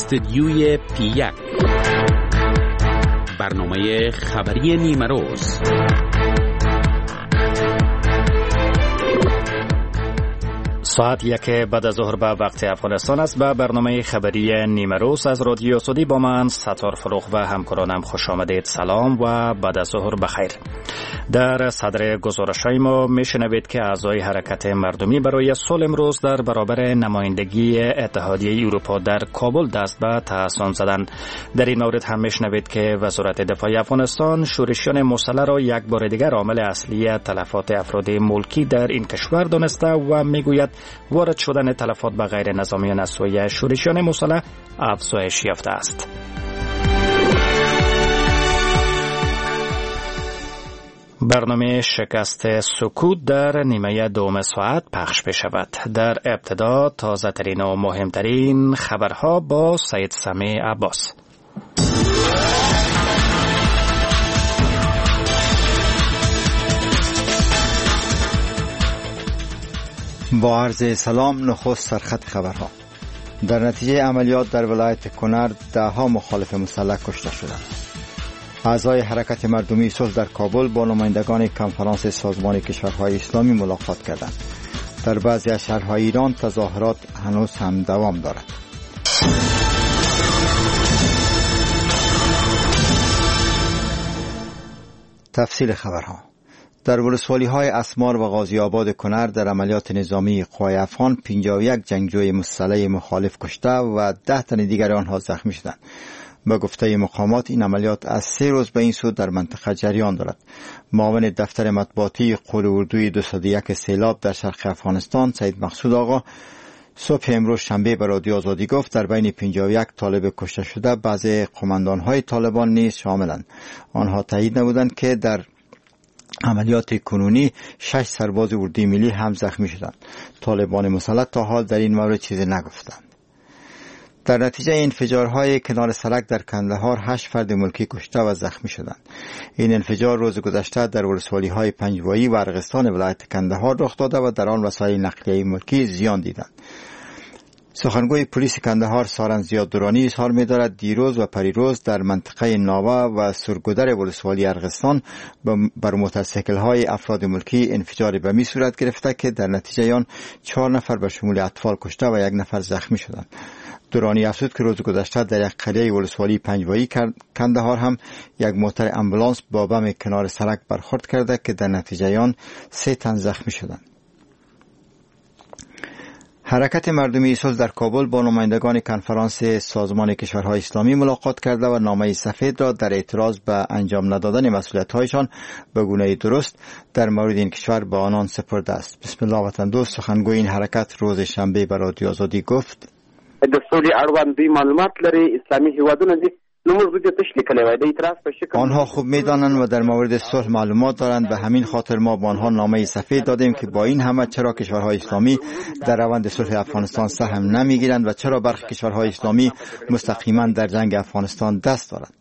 استدیوی پی 1، برنامه خبری نیمه روز. ساعت 1 بعد از ظهر به وقت افغانستان است. به برنامه خبری نیمه روز از رادیو آزادی با من ستار فروغ و همکارانم خوش آمدید. سلام و بعد از ظهر بخیر. در صدر گزارش‌های ما میشنوید که اعضای حرکت مردمی برای صلح امروز در برابر نمایندگی اتحادیه اروپا در کابل دست به تحصن زدند. در این مورد هم میشنوید که وزارت دفاع افغانستان شورشیان مسلح را یک بار دیگر عامل اصلی تلفات افراد ملکی در این کشور دانسته و میگوید وارد شدن تلفات به غیر نظامیان از سوی شورشیان مسلح افزایش یافته است. برنامه شکست سکوت در نیمه دوم ساعت پخش می شود. در ابتدا تازه ترین و مهمترین خبرها با سید سمیع عباس. با عرض سلام، نخست سرخط خبرها. در نتیجه عملیات در ولایت کنر ده ها مخالف مسلح کشته شدند. اعضای حرکت مردمی صلح در کابل با نمایندگان کنفرانس سازمان کشورهای اسلامی ملاقات کردند. در بعضی از شهرهای ایران تظاهرات هنوز هم دوام دارد. تفصیل خبرها. در ولسوالی‌های اسمار و غازی آباد کنر در عملیات نظامی قوای افغان 51 جنگجوی مسلح مخالف کشته و 10 تن دیگر آنها زخمی شدند. به گفته مقامات این عملیات از 3 روز به این سو در منطقه جریان دارد. معاون دفتر مطبوعاتی قول اردوی 201 سیلاب در شرق افغانستان سید مقصود آقا صبح امروز شنبه به رادیو آزادی گفت در بین 51 طالب کشته شده بعضی قماندان‌های طالبان نیز شاملند. آنها تایید نمودند که در عملیات کنونی 6 سرباز اردوی ملی هم زخمی شدند. طالبان مسلح تا حال در این مورد چیزی نگفتند. در نتیجه انفجارهای کنار سرک در کندهار 8 فرد ملکی کشته و زخمی شدند. این انفجار روز گذشته در ولسوالی‌های پنجوایی و ارغستان ولایت کندهار رخ داده و در آن وسایل نقلیه ملکی زیان دیدند. سخنگوی پلیس کندهار سارن زیاد دورانی اظهار می‌دارد دیروز و پریروز در منطقه ناوه و سرگودر ولسوالی ارغستان بر موتورسیکل‌های افراد ملکی انفجار بمی صورت گرفته که در نتیجه آن 4 نفر به شمول اطفال کشته و 1 نفر زخمی شدند. دورانی افزود که روز گذشته در یک قریه ولسوالی پنجوایی کندهار هم یک موتور امبولانس با بم کنار سرک برخورد کرده که در نتیجه آن 3 تن زخمی شدند. حرکت مردمی صلح در کابل با نمایندگان کنفرانس سازمان کشورهای اسلامی ملاقات کرده و نامه سفید را در اعتراض به انجام ندادن مسئولیت‌هایشان به گونه درست در مورد این کشور به آنان سپرده است. بسم الله وطن دوست سخنگوی این حرکت روز شنبه به رادیو آزادی گفت: د سولې اړوند دوی معلومات لري، اسلامي هیوادونه دي. آنها خوب می‌دانند و در مورد صلح معلومات دارند. به همین خاطر ما با آنها نامه سفید دادیم که با این همه چرا کشورهای اسلامی در روند صلح افغانستان سهم نمی‌گیرند و چرا برخی کشورهای اسلامی مستقیما در جنگ افغانستان دست دارند.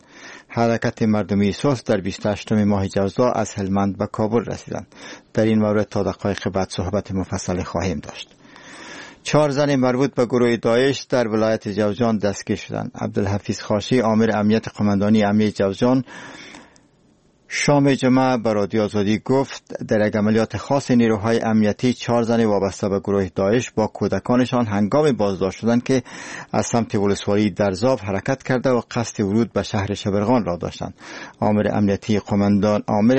حرکت مردمی صلح در 28 ماه جوزا از هلمند به کابل رسیدند. در این مورد تا دقایق بعد صحبت مفصل خواهیم داشت. 4 زن مربوط به گروه داعش در ولایت جوزجان دستگیر شدند. عبدالحفیظ خاشی آمر امنیت قماندانی امنیت جوزجان شام جمعه به رادیو آزادی گفت در یک عملیات خاص نیروهای امنیتی 4 زن وابسته به گروه داعش با کودکانشان هنگام بازداشت شدند که از سمت ولسوالی درزاب حرکت کرده و قصد ورود به شهر شبرغان را داشتند. آمر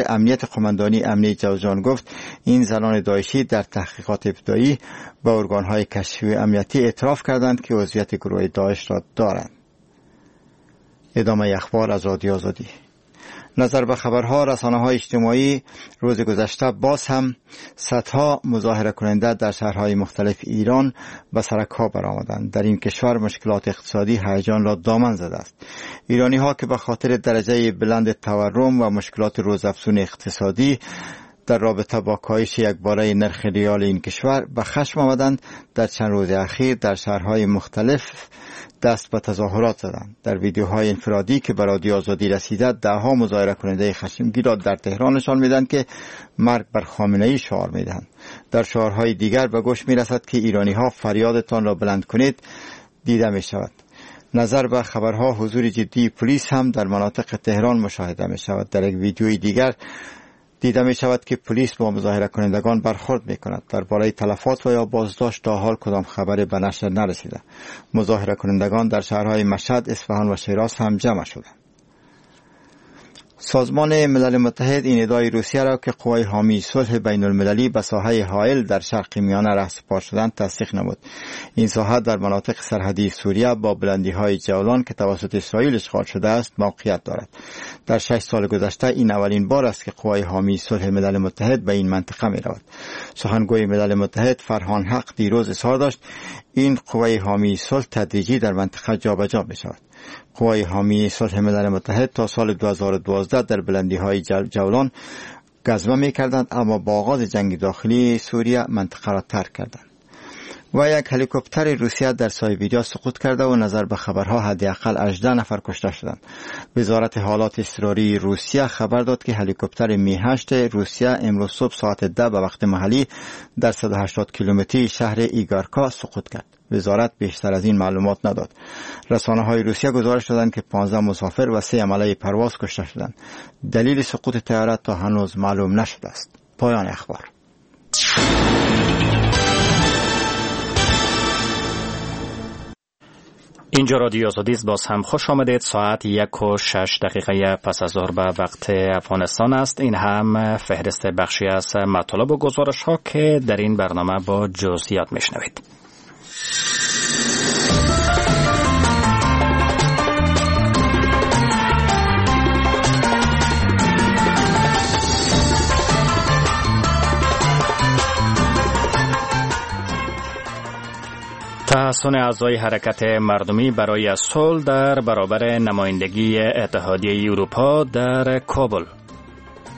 امنیت قماندانی امنیت جوزجان گفت این زنان داعشی در تحقیقات ابتدایی به ارگانهای کشفی امنیتی اعتراف کردند که عضویت گروه داعش را دارند. ادامه اخبار از رادیو آزادی. نظر به خبرها رسانه‌های اجتماعی روز گذشته باز هم صدها مظاهره کننده در شهرهای مختلف ایران به سرک‌ها برآمدند. در این کشور مشکلات اقتصادی هیجان را دامن زده است. ایرانی‌ها که به خاطر درجه بلند تورم و مشکلات روزافزون اقتصادی در رابطه با کاهش یکباره نرخ ریال این کشور به خشم آمدند، در چند روز اخیر در شهرهای مختلف دست به تظاهرات زدند. در ویدیوهای انفرادی که به رادیو آزادی رسیده، دهها مظاهره کننده خشمگین را در تهران نشان میدهند که مرگ بر خامنه‌ای شعار میدهند. در شعارهای دیگر به گوش میرسد که ایرانی ها فریادتان را بلند کنید دیده می شود. نظر به خبرها حضور جدی پلیس هم در مناطق تهران مشاهده می شود. در یک ویدیوی دیگر دیده می شود که پلیس با مظاهره کنندگان برخورد می کند. درباره تلفات و یا بازداشت تا حال کدام خبری به نشر نرسیده. مظاهره کنندگان در شهرهای مشهد، اصفهان و شیراز هم جمع شدند. سازمان ملل متحد این ادعای روسیه را که قوای حامی صلح بین المللی به ساحه حائل در شرق میانه رهسپار شدند تصدیق نمود. این ساحه در مناطق سرحدی سوریه با بلندی‌های جولان که توسط اسرائیل اشغال شده است موقعیت دارد. در 6 سال گذشته این اولین بار است که قوای حامی صلح ملل متحد به این منطقه می رود. سخنگوی ملل متحد فرهان حق دیروز اظهار داشت این قوای حامی صلح تدریجی در منطقه جابجا می شود. قوای حامی صلح ملل متحد تا سال 2012 در بلندی‌های جولان گزمه می‌کردند، اما با آغاز جنگ داخلی سوریه منطقه را ترک کردند. و یک هلیکوپتر روسیه در سایبریا سقوط کرده و نظر به خبرها حداقل 18 نفر کشته شدند. وزارت حالات اضطراری روسیه خبر داد که هلیکوپتر می 8 روسیه امروز صبح ساعت 10 به وقت محلی در 180 کیلومتری شهر ایگارکا سقوط کرد. وزارت بیشتر از این معلومات نداد. رسانه‌های روسیه گزارش دادند که 15 مسافر و 3 عمله پرواز کشته شدند. دلیل سقوط طیاره تا هنوز معلوم نشده است. پایان اخبار. اینجا رادیو آزادی است. باز هم خوش آمدید. ساعت 1:06 پس از ظهر به وقت افغانستان است. این هم فهرست بخشی از مطالب و گزارش ها که در این برنامه با جزئیات میشنوید. تحصن اعضای حرکت مردمی برای صلح در برابر نمایندگی اتحادیه اروپا در کابل.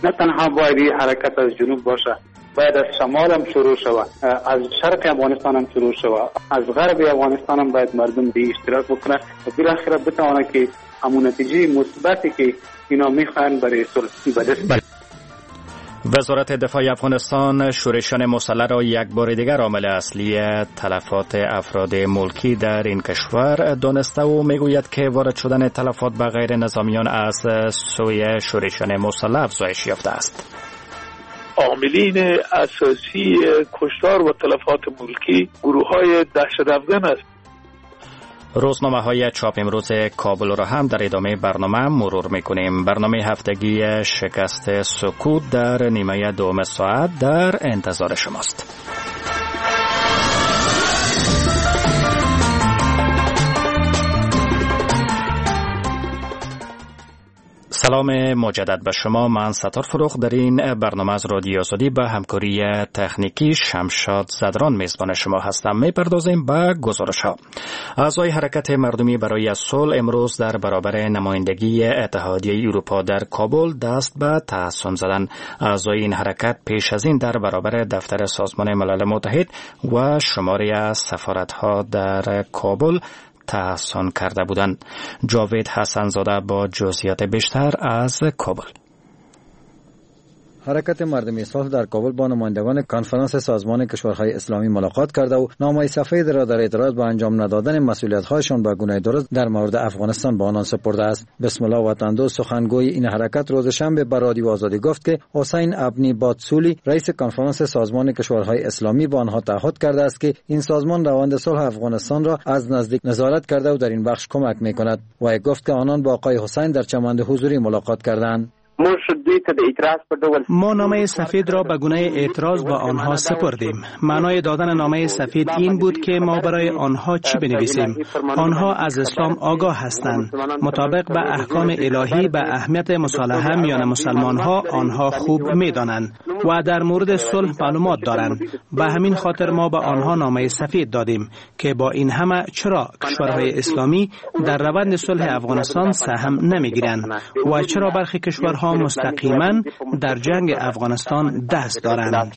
نه تنها باید حرکت از جنوب باشه، باید از شمال هم شروع شود، از شرق افغانستان هم شروع شود، از غرب افغانستان هم باید مردم به اشتراک بکنه و بالاخره بتوانه که همون نتیجه مثبتی که اینا میخوان برای صلح به دست بیارن. وزارت دفاع افغانستان شورشیان مسلح را یک بار دیگر عامل اصلی تلفات افراد ملکی در این کشور دانسته و میگوید که وارد شدن تلفات به غیر نظامیان از سوی شورشیان مسلح افزایش یافته است. عاملین اساسی کشتار و تلفات ملکی گروه‌های دهشت افگن است. روزنامه های چاپ امروز کابل را هم در ادامه برنامه مرور میکنیم. برنامه هفتگی شکست سکوت در نیمه دوم ساعت در انتظار شماست. سلام مجدد به شما، من ستار فروخ در این برنامه از رادیو آزادی به همکاری تکنیکی شمشاد زدران میزبان شما هستم. میپردازیم به گزارش ها. اعضای حرکت مردمی برای صلح امروز در برابر نمایندگی اتحادیه اروپا در کابل دست به تحصن زدند. اعضای این حرکت پیش از این در برابر دفتر سازمان ملل متحد و شماری از سفارت ها در کابل تحصن کرده بودند. جاوید حسن زاده با جزئیات بیشتر از کابل. حرکت مردمی صلح در کابل با نمایندگان کنفرانس سازمان کشورهای اسلامی ملاقات کرده و نامه سفید را در اعتراض به انجام ندادن مسئولیت‌هایشان به گونه درست در مورد افغانستان به آنان سپرده است. بسم الله وطندوست سخنگوی این حرکت روز شنبه به رادیو آزادی گفت که حسین ابنی باتسولی رئیس کنفرانس سازمان کشورهای اسلامی به آنها تعهد کرده است که این سازمان روند صلح افغانستان را از نزدیک نظارت کرده و در این بخش کمک می‌کند. و گفت که آنان با آقای حسین در چمن حضوری ملاقات کردند. ما نامه سفید را به گونه اعتراض با آنها سپردیم. معنای دادن نامه سفید این بود که ما برای آنها چی بنویسیم. آنها از اسلام آگاه هستند. مطابق به احکام الهی به اهمیت مصالحه میان مسلمان ها آنها خوب می دانند و در مورد صلح معلومات دارند. به همین خاطر ما به آنها نامه سفید دادیم که با این همه چرا کشورهای اسلامی در روند صلح افغانستان سهم نمی گیرند و چرا برخی کشورها مستقیما در جنگ افغانستان دست دارند.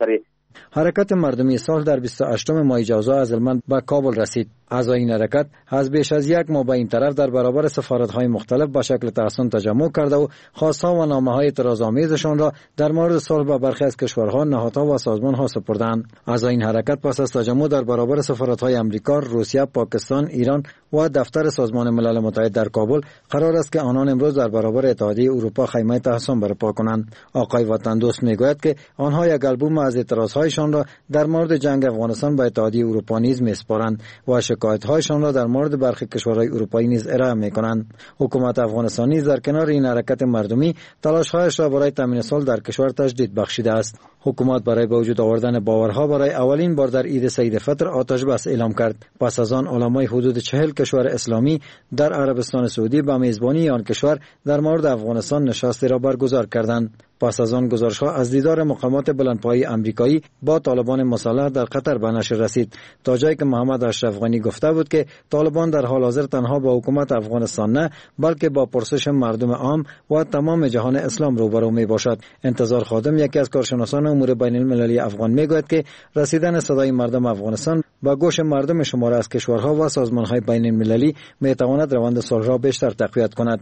حرکت مردمی صلح در 28 ماه جوزا از هلمند به کابل رسید. اعضای این حرکت از بیش از یک ماه به این طرف در برابر سفارت‌های مختلف به شکل تحصن تجمع کرده و خواست‌ها و نامه‌های اعتراض‌آمیزشان را در مورد صلح به برخی از کشورها، نهادها و سازمان‌ها سپردند. اعضای این حرکت پس از تجمع در برابر سفارت‌های امریکا، روسیه، پاکستان، ایران و دفتر سازمان ملل متحد در کابل قرار است که آنان امروز در برابر اتحادیه اروپا خیمه تحصن برپا کنند. آقای وطندوست میگوید که آنها یک آلبوم از اعتراض‌هایشان را در مورد جنگ افغانستان با اتحادیه اروپا نیز می‌سپارند و شکایت‌هایشان را در مورد برخی کشورهای اروپایی نیز ارائه می‌کنند. حکومت افغانستان نیز در کنار این حرکت مردمی تلاش‌هایش را برای تامین صلح در کشور تجدید بخشیده است. حکومت برای به وجود آوردن باورها برای اولین بار در عید سعید فطر آتش بس اعلام کرد. پس از آن علمای حدود 40 کشور اسلامی در عربستان سعودی به میزبانی آن کشور در مورد افغانستان نشستی را برگزار کردند. پس از آن گزارش‌ها از دیدار مقامات بلندپایه آمریکایی با طالبان مسلح در قطر به نشر رسید، تا جایی که محمد اشرف غنی گفته بود که طالبان در حال حاضر تنها با حکومت افغانستان نه، بلکه با پرسش مردم عام و تمام جهان اسلام روبرو می باشد. انتظار خادم، یکی از کارشناسان امور بین المللی افغان، میگوید که رسیدن صدای مردم افغانستان به گوش مردم شمار از کشورها و سازمان‌های بین المللی می تواند روند صلح را بیشتر تقویت کند.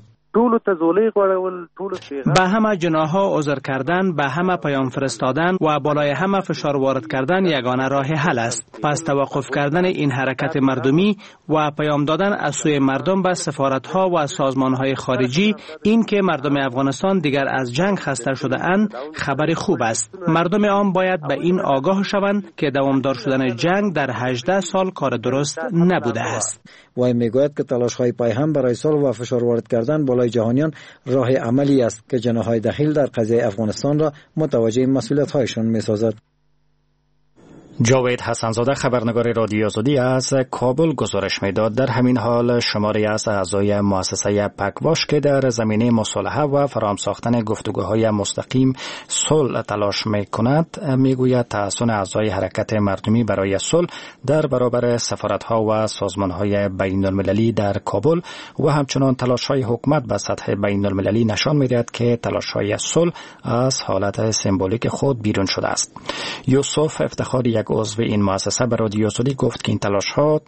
به همه جناح‌ها عذر کردن، به همه پیام فرستادن و بالای همه فشار وارد کردن یگانه راه حل است. پس توقف کردن این حرکت مردمی و پیام دادن از سوی مردم به سفارت‌ها و سازمان‌های خارجی، این که مردم افغانستان دیگر از جنگ خسته شده اند، خبر خوب است. مردم عام باید به این آگاه شوند که دوامدار شدن جنگ در 18 سال کار درست نبوده است. وی میگوید که تلاش‌های پایهم برای صلح و فشار وارد کردن بالای جهانیان راه عملی است که جناح‌های دخیل در قضیه افغانستان را متوجه مسئولیت‌هایشان می‌سازد. جاوید حسنزاده، خبرنگار رادیو آزادی از کابل گزارش میداد. در همین حال شماری از اعضای مؤسسه پکواش که در زمینه مصالحه و فراهم ساختن گفتگوهای مستقیم صلح تلاش میکند، میگوید تحصن اعضای حرکت مردمی برای صلح در برابر سفارت‌ها و سازمان‌های بین المللی در کابل و همچنان تلاش‌های حکومت به سطح بین المللی نشان میدهد که تلاش‌های صلح از حالت سمبولیک خود بیرون شده است. یوسف افتخاری، یک عضو این مؤسسه، به رادیو آزادی گفت که این تلاش‌ها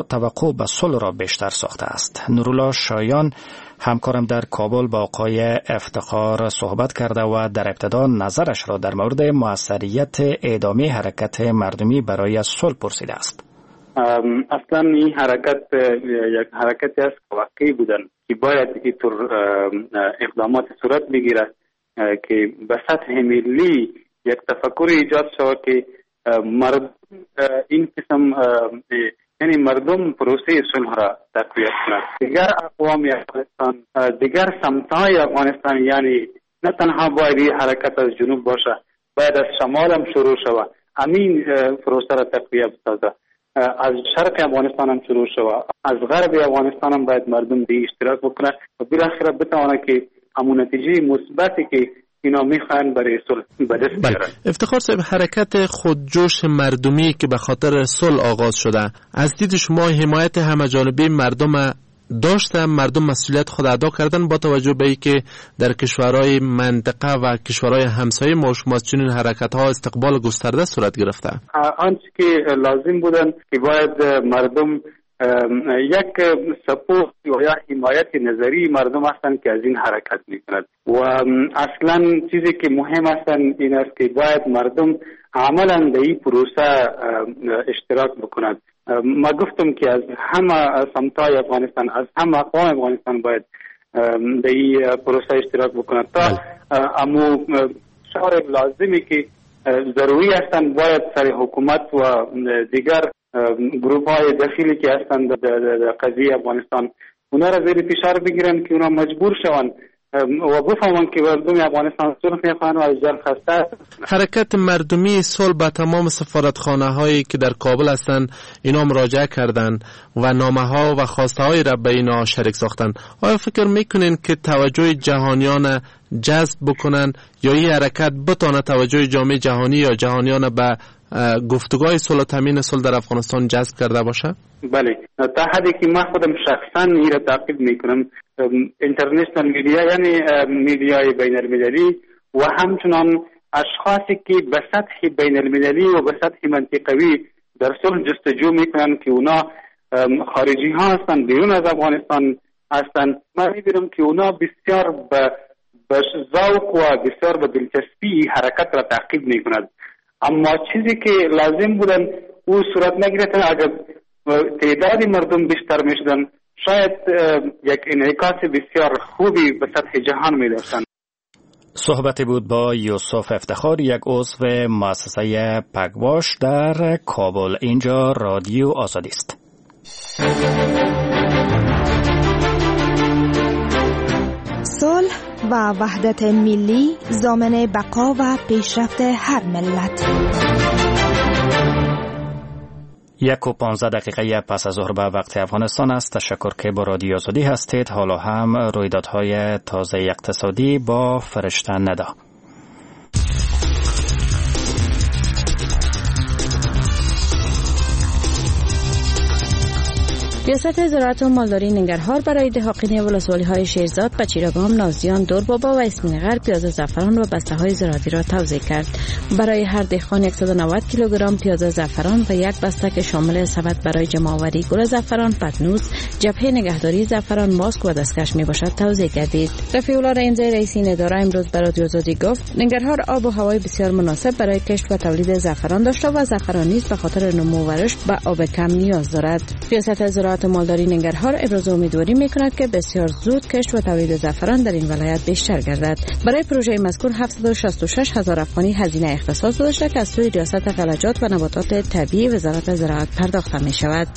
توقع به صلح را بیشتر ساخته است. نورالله شایان، همکارم در کابل، با آقای افتخار صحبت کرده و در ابتدا نظرش را در مورد موثریت ادامه حرکت مردمی برای صلح پرسیده است. اصلا این حرکت یک حرکتی است که واقعی بودن که باید اینطور اقدامات صورت بگیرد که به سطح ملی یک تفکر ایجاد شود که مردم این قسم، یعنی مردم پروسه صلح را تقویت کنند. دیگر اقوام افغانستان، دیگر سمت‌های افغانستان، یعنی نه تنها باید این حرکت از جنوب باشه، باید از شمال هم شروع شود، همین پروسه را تقویت بسازه. از شرق افغانستان هم شروع شود، از غرب افغانستان هم باید مردم به اشتراک بکنه و بالاخره بتوانه که همون نتیجه مثبتی که اینا میخوان برای صلح به دست بیارن. افتخار صاحب، حرکت خودجوش مردمی که به خاطر صلح آغاز شده، از دید شما حمایت همه جانبه مردم داشته؟ مردم مسئولیت خود ادا کردن با توجه به اینکه در کشورهای منطقه و کشورهای همسایه ما شما از چنین حرکت ها استقبال گسترده صورت گرفته؟ آنچه که لازم بودن که باید مردم یک support یا حمایت نظری مردم هستند که از این حرکت میکند و اصلا چیزی که مهم هستند این است که باید مردم عملا در این پروسه اشتراک بکنند. ما گفتم که از همه سمتای افغانستان، از همه اقوام افغانستان باید در این پروسه اشتراک بکنند تا امو شعار لازمی که ضروری هستند باید سر حکومت و دیگر گروپ های دخیلی که هستند در قضیه افغانستان اونا را زیر فشار بگیرن که اونا مجبور شوند و بفهمند که مردم افغانستان صلح میخواهند و از جنگ خسته. حرکت مردمی صلح به تمام سفارتخانه هایی که در کابل هستند اینا مراجعه کردند و نامه ها و خواسته های را به اینا شریک ساختند. آیا فکر میکنین که توجه جهانیان جذب بکنن یا این حرکت بتانه توجه جامعه جهانی یا جهانیان به گفتگوهای صلح و تامین صلح در افغانستان جذب کرده باشه؟ بله، تا حدی که من خودم شخصا این را تعقیب میکنم، international media، یعنی media ی بین المللی و همچنان اشخاصی که به سطح بین المللی و به سطح منطقوی در صلح جستجو میکنن که اونا خارجی ها هستند، بیرون از افغانستان هستند، من میبینم که اونا بسیار به ذوق و بسیار به دلچسپی حرکت را تعقیب میکند. اما چیزی که لازم بودن او صورت نگرفت. اگر تعداد مردم بیشتر میشدن شاید یک انعکاس بسیار خوبی به سطح جهان میداشتند. صحبت بود با یوسف افتخار، یک عضو مؤسسه پگواش در کابل. اینجا رادیو آزادی است. صلح و وحدت ملی ضامن بقا و پیشرفت هر ملت. 1:15 پس از ظهر به وقت افغانستان است. تشکر که با رادیو آزادی هستید. حالا هم رویدادهای تازه اقتصادی با فرشته ندا. ریاست زراعت و مالداری ننگرهار برای دهاقین ولسوالی‌های شیرزاد، پچیرگام، نازیان، دوربابا و اسمین غرب پیاز زعفران و بسته‌های زراعتی را توزیع کرد. برای هر دهقان 190 کیلوگرم پیاز زعفران و یک بسته که شامل سبد برای جمع‌آوری گل زعفران، پتنوس، جبهه نگهداری زعفران، ماسک و دستکش میباشد توزیع گردید. رفیع الله رحیمزی رئیس این اداره امروز برای رادیو آزادی گفت ننگرهار آب و هوای بسیار مناسب برای کشت و تولید زعفران داشته و زعفران نیز به خاطر نمو و رشد به آب کم نیاز دارد. ریاست زراعت مالداری ننگرهار ابراز امیدواری میکند که بسیار زود کشت و تولید زعفران در این ولایت بیشتر گردد. برای پروژه مذکور 766 هزار افغانی هزینه اختصاص داشته که از سوی ریاست غلجات و نباتات طبیعی وزارت زراعت پرداخته می شود.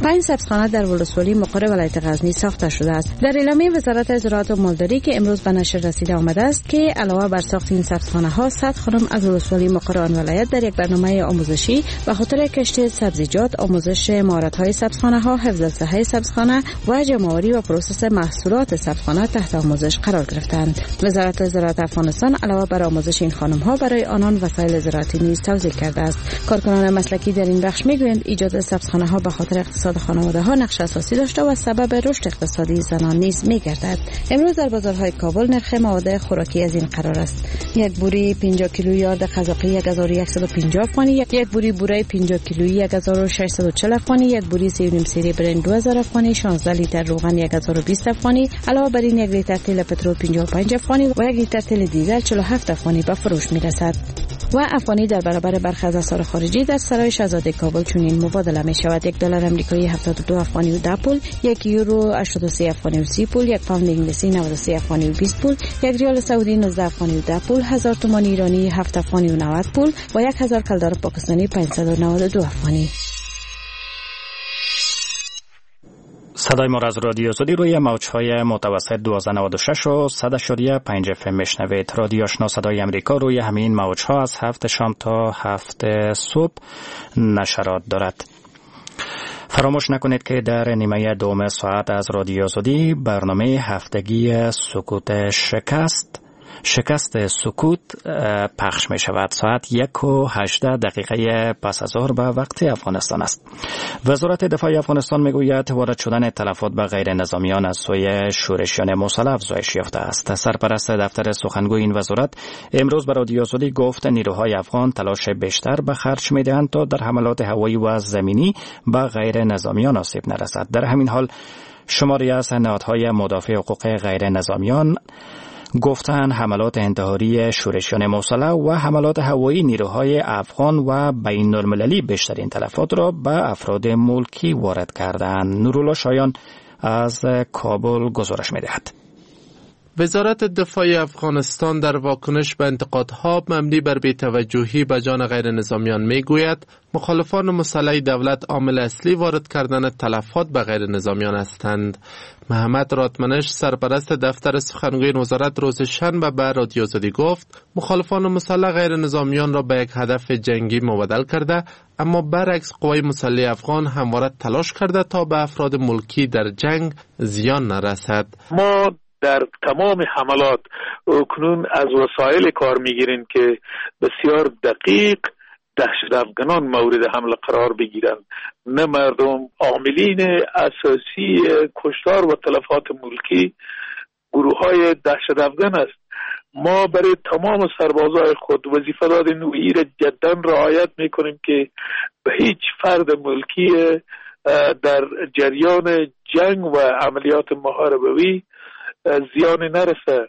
5 سبزخانه در ولسوالی مقر ولایت غزنی ساخته شده است. در اعلامیه وزارت زراعت و مالداری که امروز به نشر رسیده آمده است که علاوه بر ساخت این سبزخانه ها 100 خانم از ولسوالی مقر آن ولایت در یک برنامه آموزشی به خاطر کشت سبزیجات، آموزش مهارت های سبزخانه ها، حفظ صحه سبزخانه و جمع‌آوری و پروسس محصولات سبزخانه تحت آموزش قرار گرفتند. وزارت زراعت افغانستان علاوه بر آموزش این خانم ها برای آنان وسایل زراعتی نیز توزیع کرده است. کارکنان مسلکی در این بخش میگویند ایجاد سبزخانه ها به خاطر اقتصاد خانواده ها نقش اساسی داشته و سبب رشد اقتصادی زنان نیز میگردد. امروز در بازارهای کابل نرخ مواد خوراکی از این قرار است: یک بوری 50 کیلویی آرد قزاقی 1150 افغانی، یک بوری بوره 50 کیلویی 1640 افغانی، یک بوری 3.5 سری برنج 2000 افغانی، 16 لیتر روغن 1020 افغانی، علاوه بر این یک لیتر تیل پترول 55 افغانی و یک لیتر تیل دیزل 47 افغانی به فروش میرسد. و افغانی در برابر برخی از اسعار خارجی در سرای شهزاده کابل چنین مبادله می شود: یک دلار آمریکایی 72 افغانی و 10 پول، یک یورو 83 افغانی و 30 پول، یک پوند انگلیسی 93 افغانی و 20 پول، یک ریال سعودی 19 افغانی و 10 پول، 1000 تومان ایرانی 7 افغانی و 90 پول و 1000 کلدار پاکستانی 592 افغانی. صدای ما از رادیو آزادی روی موج‌های متوسط 1296 و 100.5 اف ام میشنوید. رادیو آشنا صدای امریکا روی همین موج‌ها از 7 شام تا 7 صبح نشرات دارد. فراموش نکنید که در نیمه دوم ساعت از رادیو آزادی برنامه هفتگی سکوت شکست سکوت پخش می شود. ساعت 1:18 پس از ظهر به وقت افغانستان است. وزارت دفاع افغانستان می گوید وارد شدن تلفات به غیر نظامیان از سوی شورشیان مسلح افزایش یافته است. سرپرست دفتر سخنگوی این وزارت امروز به رادیو آزادی گفت نیروهای افغان تلاش بیشتر به خرج می دهند تا در حملات هوایی و زمینی به غیر نظامیان آسیب نرسد. در همین حال شماری از نهادهای مدافع حقوق غیر نظامیان گفتن حملات انتحاری شورشیان مسلح و حملات هوایی نیروهای افغان و بین المللی بیشترین تلفات را به افراد ملکی وارد کردند. نورالله شایان از کابل گزارش می‌دهد. وزارت دفاع افغانستان در واکنش به انتقادها مبنی بر بی‌توجهی به جان غیر نظامیان میگوید مخالفان مسلح دولت عامل اصلی وارد کردن تلفات به غیر نظامیان هستند. محمد رادمنش سرپرست دفتر سخنگوی وزارت روز شنبه به رادیو آزادی گفت مخالفان مسلح غیر نظامیان را به یک هدف جنگی مبادل کرده، اما برعکس قوای مسلح افغان همواره تلاش کرده تا به افراد ملکی در جنگ زیان نرسد. ما در تمام حملات کنون از وسایل کار میگیریم که بسیار دقیق دهشت افغانان مورد حمله قرار بگیرند، نه مردم. عاملین اساسی کشتار و تلفات ملکی گروه های دهشت افغان است. ما برای تمام سربازای خود وظیفه دادیم و این را جدا رعایت میکنیم که به هیچ فرد ملکی در جریان جنگ و عملیات محاربوی زیان نرسه.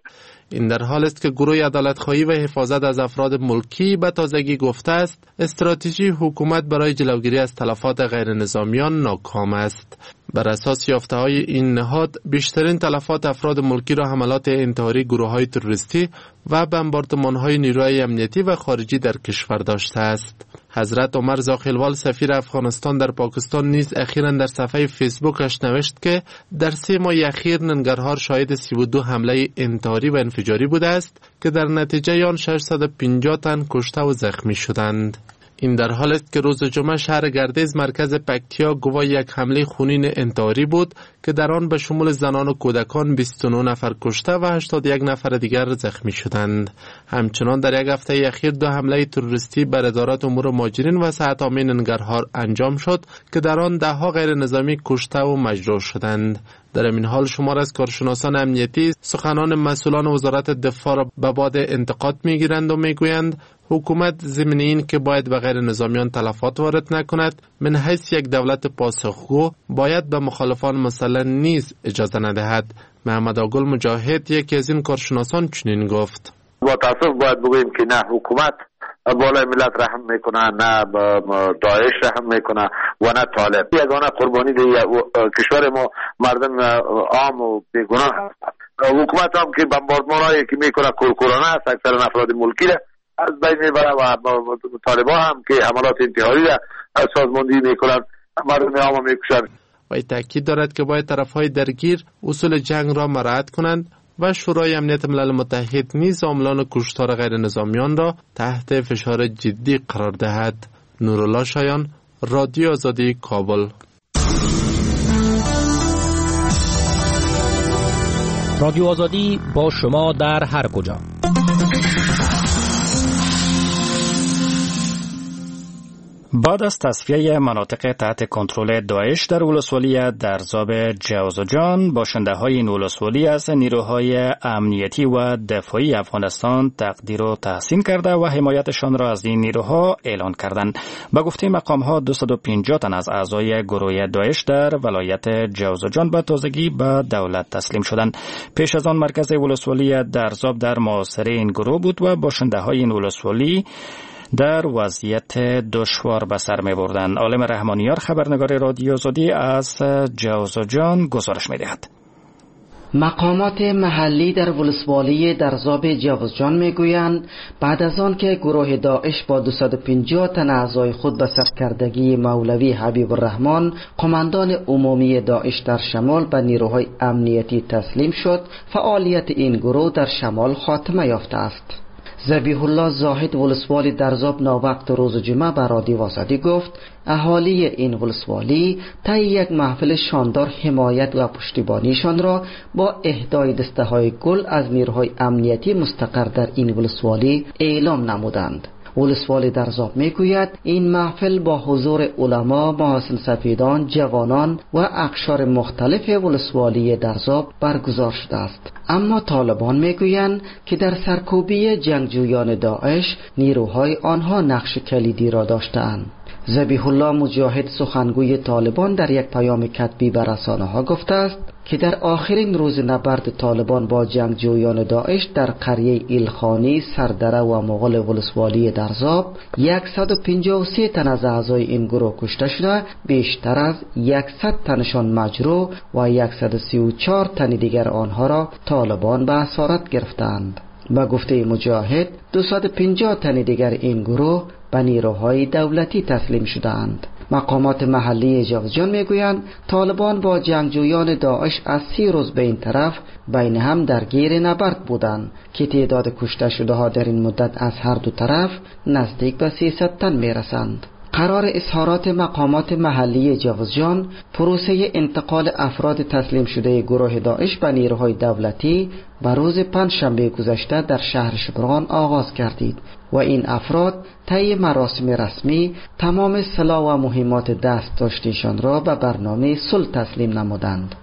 این در حال است که گروه عدالتخواهی و حفاظت از افراد ملکی به تازگی گفته است استراتژی حکومت برای جلوگیری از تلفات غیر نظامیان ناکام است. بر اساس یافته‌های این نهاد، بیشترین تلفات افراد ملکی را حملات انتحاری گروه‌های تروریستی و بمباردمان‌های نیروهای امنیتی و خارجی در کشور داشته است. حضرت عمر زاخیلوال سفیر افغانستان در پاکستان نیز اخیراً در صفحه فیسبوکش نوشت که در 3 ماه اخیر ننگرهار شاهد 32 حمله انتحاری و انفجاری بوده است که در نتیجه آن 650 تن کشته و زخمی شدند. این در حال است که روز جمعه شهر گردیز مرکز پکتیا گواه یک حمله خونین انتحاری بود که در آن به شمول زنان و کودکان 29 نفر کشته و 81 نفر دیگر زخمی شدند. همچنان در یک هفته اخیر 2 حمله تروریستی بر ادارات امور مهاجرین و صحت عامه ننگرهار انجام شد که در آن ده‌ها غیر نظامی کشته و مجروح شدند. در این حال شمار از کارشناسان امنیتی سخنان مسئولان وزارت دفاع را به باد انتقاد میگیرند و میگویند حکومت ضمن این که باید به غیر نظامیان تلفات وارد نکند، من حیث یک دولت پاسخگو باید به مخالفان مسلح نیز اجازه ندهد. محمد آگل مجاهد یکی از این کارشناسان چنین گفت: با تاسف باید بگوییم که نه حکومت بالای ملت رحم میکنه، نه داعش رحم میکنه و نه طالب. یگانه قربانی کشور ما مردم عام و بیگناه هست. حکومت هم که بمباردمانایی که میکنه کورکورانه است، اکثر افراد ملکی را از بین میبره و طالبان هم که حملات انتحاری را سازماندهی میکنن، مردم عام میکشن. و تاکید دارد که باید طرفهای درگیر اصول جنگ را مراعات کنند و شورای امنیت ملل متحد نیز عاملان کشتار غیر نظامیان را تحت فشار جدی قرار دهد. نورالله شایان، رادیو آزادی، کابل. رادیو آزادی با شما در هر کجا. بعد از تصفیه مناطق تحت کنترل داعش در ولسوالی درزاب جوزجان، باشنده های این ولسوالی از نیروهای امنیتی و دفاعی افغانستان تقدیر و تحسین کرده و حمایتشان را از این نیروها اعلان کردند. به گفته مقام ها 250 تن از اعضای گروه داعش در ولایت جوزجان به تازگی به دولت تسلیم شدند. پیش از آن مرکز ولسوالی درزاب در محاصره این گروه بود و باشنده های این ولسوالی در وضعیت دشوار به سر می بردن. عالم رحمانیار خبرنگار رادیو آزادی از جوزجان گزارش می دهد. مقامات محلی در ولسوالی درزاب جوزجان میگویند بعد از آن که گروه داعش با 250 تن اعضای خود به سرکردگی مولوی حبیب الرحمن قماندان عمومی داعش در شمال به نیروهای امنیتی تسلیم شد، فعالیت این گروه در شمال خاتمه یافته است. ذبیح الله زاهد ولسوالی درزاب ناوقت روز جمعه به رادیو آزادی گفت اهالی این ولسوالی طی یک محفل شاندار حمایت و پشتیبانیشان را با اهدای دسته‌های گل از نیروهای امنیتی مستقر در این ولسوالی اعلام نمودند. ولسوالی درزاب میگوید این محفل با حضور علما، محاسن سفیدان، جوانان و اقشار مختلف ولسوالی درزاب برگزار شده است. اما طالبان میگویند که در سرکوبی جنگجویان داعش نیروهای آنها نقش کلیدی را داشتند. ذبیح الله مجاهد سخنگوی طالبان در یک پیام کتبی به رسانه‌ها گفته است که در آخرین روز نبرد طالبان با جنگجویان داعش در قریه ایلخانی، سردره و مغول ولسوالی درزاب 153 تن از اعضای این گروه کشته شده، بیشتر از 100 تنشان مجروح و 134 تن دیگر آنها را طالبان به اسارت گرفتند. با گفته مجاهد 250 تن دیگر این گروه به نیروهای دولتی تسلیم شدند. مقامات محلی جوزجان میگویند طالبان با جنگجویان داعش از 30 روز به این طرف بین هم درگیر نبرد بودند که تعداد کشته شده ها در این مدت از هر دو طرف نزدیک به 300 تن میرسند. قرار اظهارات مقامات محلی جوزجان پروسه انتقال افراد تسلیم شده گروه داعش به نیروهای دولتی به روز پنجشنبه گذشته در شهر شبرغان آغاز گردید و این افراد طی مراسم رسمی تمام سلاح و مهمات دست داشته‌شان را به برنامه صلح تسلیم نمودند.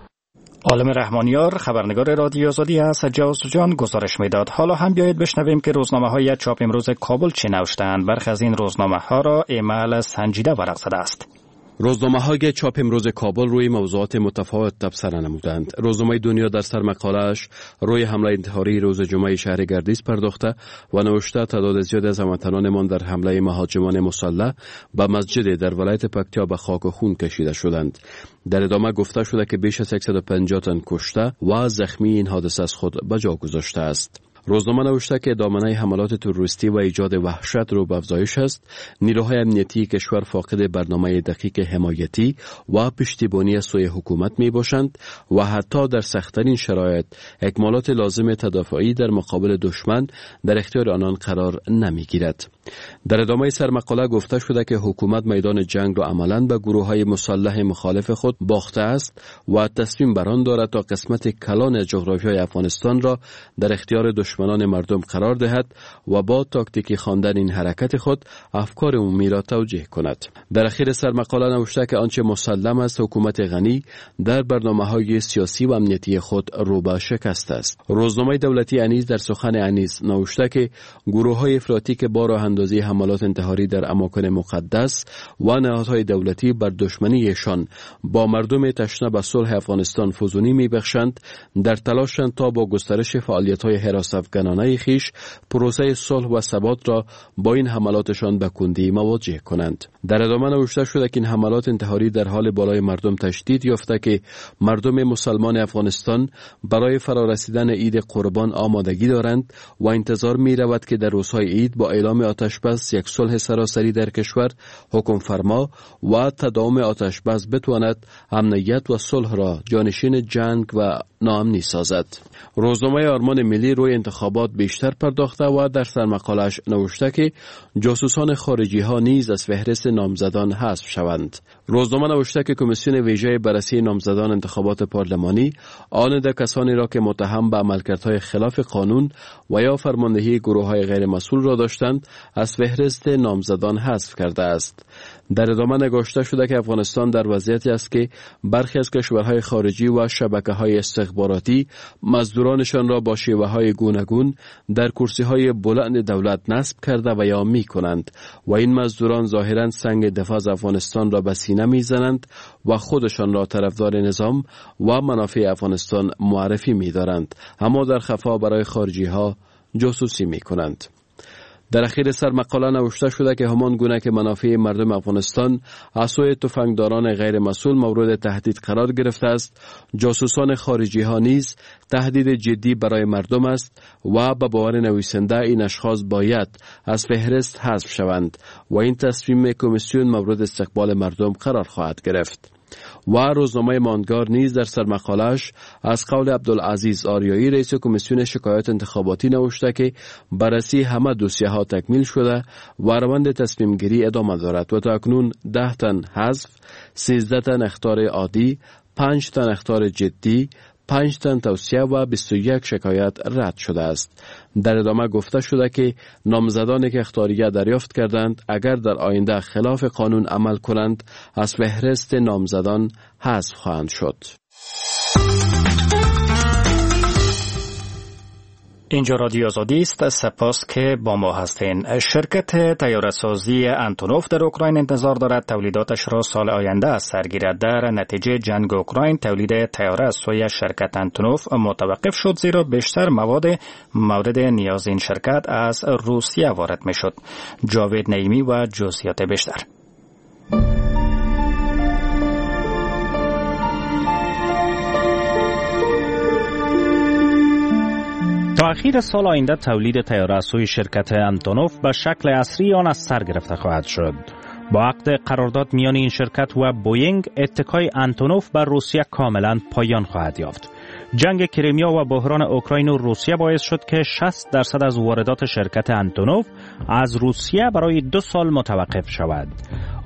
عالم رحمانیار، خبرنگار رادیو آزادی از جوزجان گزارش میداد. حالا هم بیایید بشنویم که روزنامه های چاپ امروز کابل چه نوشتند. برخی از این روزنامه ها را ایمل سنجیده ورق زده است. روزنامه های چاپ امروز کابل روی موضوعات متفاوت تبصره نمودند. روزنامه دنیا در سرمقاله‌اش روی حمله انتحاری روز جمعه شهر گردیز پرداخته و نوشته تعداد زیاد از هموطنانمان در حمله مهاجمان مسلح به مسجد در ولایت پکتیا به خاک و خون کشیده شدند. در ادامه گفته شده که بیش از 150 تن کشته و زخمی این حادثه از خود به جا گذاشته است. روزنامه نوشته که دامنه حملات تروریستی و ایجاد وحشت رو به افزایش است. نیروهای امنیتی کشور فاقد برنامه دقیق حمایتی و پشتیبانی از سوی حکومت می باشند و حتی در سخت‌ترین شرایط اکمالات لازم تدافعی در مقابل دشمن در اختیار آنان قرار نمی گیرد. در ادامه سرمقاله گفته شده که حکومت میدان جنگ را عملاً به گروه‌های مسلح مخالف خود باخته است و تصمیم بر آن دارد تا قسمت کلان از جغرافیای افغانستان را در اختیار دشمنان مردم قرار دهد و با تاکتیکی خواندن این حرکت خود افکار عمومی را توجیه کند. در اخیر سرمقاله نوشته که آنچه مسلم است حکومت غنی در برنامه‌های سیاسی و امنیتی خود رو به شکست است. روزنامه دولتی انیس در سخن انیس نوشته که گروه‌های افراطی که با راه اندازی حملات انتحاری در اماکن مقدس و نهادهای دولتی بر دشمنیشان با مردم تشنه به صلح افغانستان فزونی میبخشند، در تلاشند تا با گسترش فعالیت‌های هراس افگنانه خویش پروسه صلح و ثبات را با این حملاتشان به کندی مواجه کنند. در ادامه نوشته شده که این حملات انتحاری در حال بالای مردم تشدید یافته که مردم مسلمان افغانستان برای فرارسیدن عید قربان آمادگی دارند و انتظار می رود که در روزهای عید با اعلام آتش بس یک صلح سراسری در کشور حکم فرما و تداوم آتش بس بتواند امنیت و صلح را جانشین جنگ و ناامنی سازد. روزنامه آرمان ملی روی انتخابات بیشتر پرداخته و در سرمقاله‌اش نوشته که جاسوسان خارجی ها نیز از فهرست نامزدان حذف شوند. روزنامه نوشته که کمیسیون ویژه بررسی نامزدان انتخابات پارلمانی آن ده کسانی را که متهم به عملکردهای خلاف قانون و یا فرماندهی گروه‌های غیر مسئول را داشتند از فهرست نامزدان حذف کرده است. در ادامه نگاشته شده که افغانستان در وضعیتی است که برخی از کشورهای خارجی و شبکه‌های استخباراتی مزدورانشان را با شیوه‌های گوناگون در کرسی‌های بلند دولت نصب کرده و یا می‌کنند و این مزدوران ظاهراً سنگ دفاع از افغانستان را به سینه می‌زنند و خودشان را طرفدار نظام و منافع افغانستان معرفی می‌دارند، اما در خفا برای خارجی‌ها جاسوسی می‌کنند. در اخیر سرمقاله نوشته شده که همان گونه که منافع مردم افغانستان از سوی تفنگداران غیر مسئول مورد تهدید قرار گرفته است، جاسوسان خارجی ها نیز تهدید جدی برای مردم است و به باور نویسنده این اشخاص باید از فهرست حذف شوند و این تصمیم کمیسیون مورد استقبال مردم قرار خواهد گرفت. و روزنامه ماندگار نیز در سرمقاله‌اش از قول عبدالعزیز آریایی رئیس کمیسیون شکایات انتخاباتی نوشته که بررسی همه دوسیه ها تکمیل شده و روند تصمیم گیری ادامه دارد و تا اکنون 10 تن حذف، 13 تن اخطار عادی، 5 تن اخطار جدی، 5 تن توصیه و 21 شکایت رد شده است. در ادامه گفته شده که نامزدانی که اخطاریه دریافت کردند اگر در آینده خلاف قانون عمل کنند از فهرست نامزدان حذف خواهند شد. اینجا رادیو آزادی است. سپاس که با ما هستین. شرکت طیاره‌سازی انتونوف در اوکراین انتظار دارد تولیداتش را سال آینده از سر گیرد. در نتیجه جنگ اوکراین تولید طیاره از سوی شرکت انتونوف متوقف شد، زیرا بیشتر مواد مورد نیاز این شرکت از روسیه وارد میشد. جاوید نعیمی و جزئیات بیشتر. تا اخیر سال آینده تولید طیاره از سوی شرکت انتونوف به شکل عصری آن از سر گرفته خواهد شد. با عقد قرارداد میان این شرکت و بوینگ، اتکای انتونوف بر روسیه کاملا پایان خواهد یافت. جنگ کریمیا و بحران اوکراین و روسیه باعث شد که 60% از واردات شرکت انتونوف از روسیه برای 2 سال متوقف شود.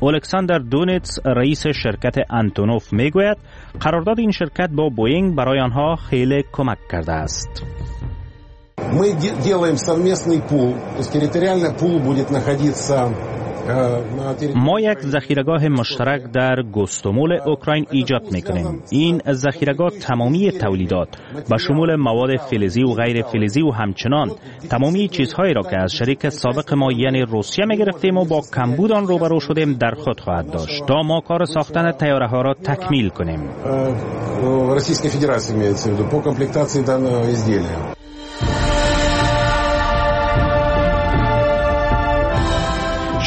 الکساندر دونیتس رئیس شرکت انتونوف میگوید قرارداد این شرکت با بوینگ برای آنها خیلی کمک کرده است. Мы делаем совместный пул, то есть территориально пул будет находиться ما یک ذخیره‌گاه مشترک در گوستومول اوکراین ایجاد می‌کنیم. این ذخیره‌گاه تمامی تولیدات به شمول مواد فلزی و غیر فلزی و همچنان تمامی چیزهایی را که از شریک سابق ما یعنی روسیه می‌گرفتیم و با کمبود آن روبرو شدیم در خود خواهد داشت تا ما کار ساختن طیاره ها را تکمیل کنیم.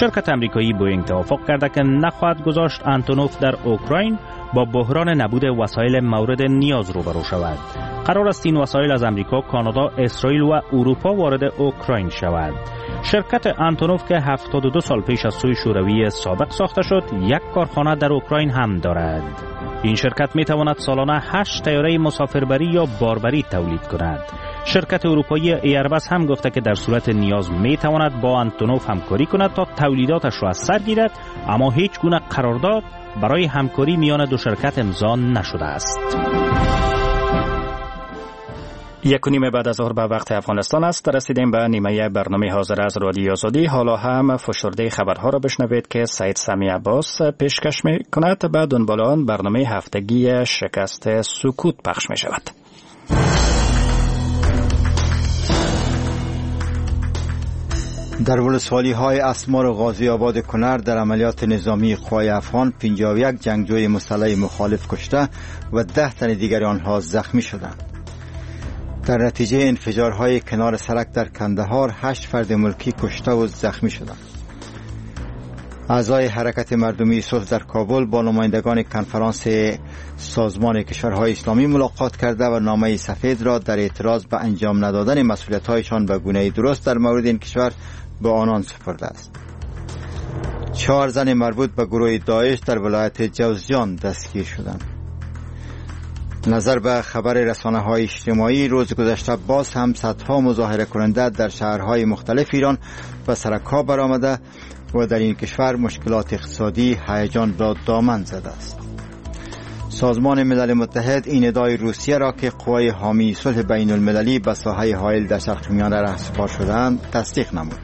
شرکت امریکایی بوینگ توافق کرده که نخواهد گذاشت انتونوف در اوکراین با بحران نبود وسایل مورد نیاز روبرو شود. قرار است این وسایل از امریکا، کانادا، اسرائیل و اروپا وارد اوکراین شود. شرکت انتونوف که 72 سال پیش از سوی شوروی سابق ساخته شد، یک کارخانه در اوکراین هم دارد. این شرکت می تواند سالانه 8 طیاره مسافربری یا باربری تولید کند. شرکت اروپایی ایربس هم گفته که در صورت نیاز می تواند با انتونوف همکاری کند تا تولیداتش را از سر گیرد، اما هیچ گونه قرارداد برای همکاری میان دو شرکت امضا نشده است. 1:30 بعد از ظهر به وقت افغانستان است. رسیدیم به نیمه برنامه حاضر از رادیو آزادی. حالا هم فشرده خبرها را بشنوید که سید سمیع عباس پیشکش می کند. به دنبال آن برنامه هفتگی شکست سکوت پخش می شود. در ولسوالی های اسمار و غازی آباد کنر در عملیات نظامی قوای افغان 51 جنگجوی مسلح مخالف کشته و 10 تن دیگر آنها زخمی شدند. در نتیجه انفجارهای کنار سرک در کندهار 8 فرد ملکی کشته و زخمی شدند. اعضای حرکت مردمی صلح در کابل با نمایندگان کنفرانس سازمان کشورهای اسلامی ملاقات کرده و نامه سفید را در اعتراض به انجام ندادن مسئولیت‌هایشان به گونه درست در مورد این کشور به آنان سپرده است. 4 زن مربوط به گروه داعش در ولایت جوزجان دستگیر شدند. نظر به خبر رسانه‌های اجتماعی روز گذشته باز هم صدها مظاهره کننده در شهرهای مختلف ایران به سرک‌ها برآمده و در این کشور مشکلات اقتصادی هیجان را دامن زده است. سازمان ملل متحد این ادعای روسیه را که قوای حامی صلح بین المللی به ساحه حائل در شرق میانه رهسپار شده‌اند تصدیق نمود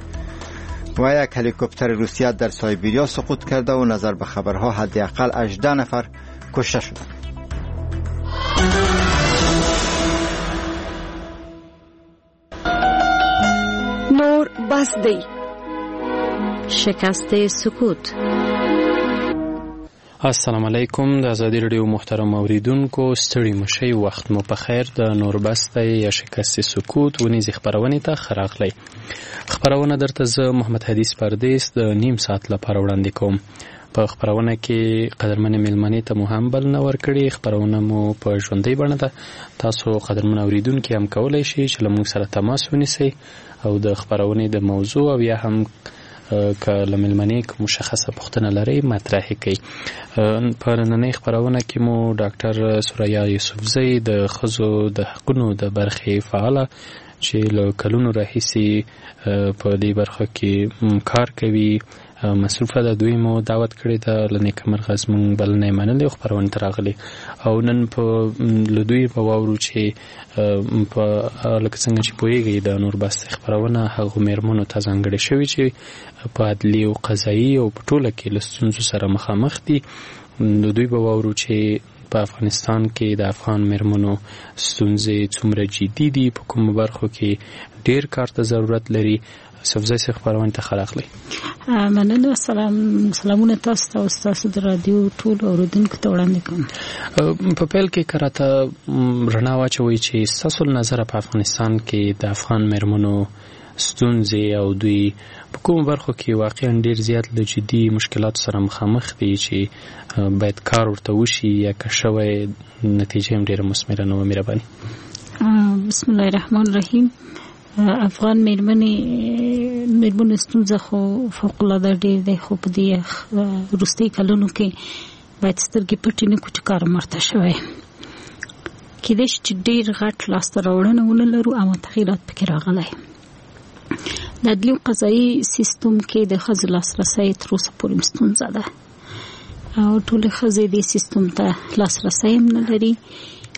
و یک هلیکوپتر روسیه در سایبریا سقوط کرده و نظر به خبرها حداقل 18 نفر کشته شدند. نور بس دی. شکست سکوت. السلام علیکم د ازادي رادیو محترم اوریدونکو، ستړي مشي، وخت مو په خیر. د نور بس دی یا شکست سکوت ونیزې خپرونې ته ښه راغلی. خپرونه درته زه محمد حدیث پردیس د نیم ساعت لپاره وړاندې کوم. په خپرونه کې قدرمن میلمنې ته مو هم بلنه ورکړې. خپرونه مو په ژوندۍ بڼه ده. تاسو قدرمن اوریدونکي هم کولی شئ چې له موږ سره تماس ونیسئ او د خپرونې د موضوع او یا هم که له میلمنې کوم مشخصه پوښتنه لرئ مطرح کړئ. په نننۍ خپرونه کې مو ډاکټر ثریا یوسفزۍ د ښځو د حقونو د برخې فعاله چې له کلونو راهیسې په دې برخه کې کار کوي مصروفه ده، دوی مو دعوت کړې ده. له نیکه مرغه زموږ بلنه یې منلې او خپرونې ته راغلي او نن په له دوی به واورو چې په لکه څنګه چې پوهېږئ د نور بس خپرونه هغو میرمنو ته ځانګړې شوې چې په عدلي او قضایي او په ټوله کې له ستونزو سره مخامخ دي. له دوی به واورو چې په افغانستان کې د افغان میرمنو ستونزې څومره جدي دي، په کومو برخو کې ډیر کار ته ضرورت لري. یوسفزۍ صاحب خپرونې ته ښه راغلی. مننه. سلامونه تاسو ته او ستاسو د رادیو ټولو اورېدونکو ته وړاندې کوم. په پیل کې که راته رڼا واچوئ چې ستاسو له نظره په افغانستان کې د افغان میرمنو ستونزې او دوی په کومو برخو کې واقعا ډیر زیات له جدي مشکلاتو سره مخامخ دي چې باید کار ورته وشي یا که شوی نتیجه هم ډیره مثمره نه وه؟ مهرباني. بسم الله الرحمن الرحیم. افغان میرمنو ستونزه خو فوق العاده ډیر دی، خو په دې وروستي کلونو کې باید سترګې پټې نه کړو چې کار مرته شوی. کېدای شي چې ډیر غټ لاسته راوړنه ونه لرو، اما تغیرات پکې راغلی. د عدلي او قضایي سیستم کې د ښځو لاسرسی تر اوسه پورې ستونزه ده او ټولې ښځې دې سیستم ته لاسرسی هم نه لري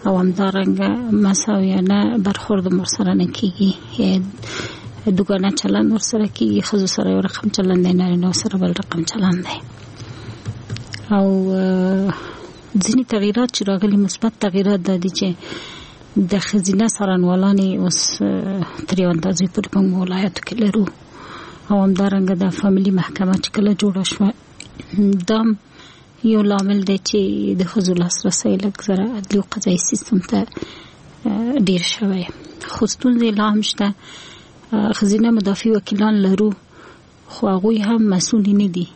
او همدارنګه مساویانه برخورد هم ورسره نه کېږي. دوګانه چلند ورسره کیږي، ښځو سره یو رقم چلند دی، نارینه سره بل رقم چلند دی. او ځینې تغیرات چې راغلي، مثبت تغیرات دا دي چې د ښځینه څارنوالانې اوس تر یو اندازې پورې په ولایاتو کې لرو، او همدارنګه د فامیلي محکمه چې کله جوړه شوه، دا یو لامل دی چې د ښځو لاسرسی لږ زره عدلي او قضایي سیستم ته ډیر شوی. خو ستونزې لا هم شته. ښځینه مدافع وکیلان لرو، خو هغوی هم مسؤل نه دي،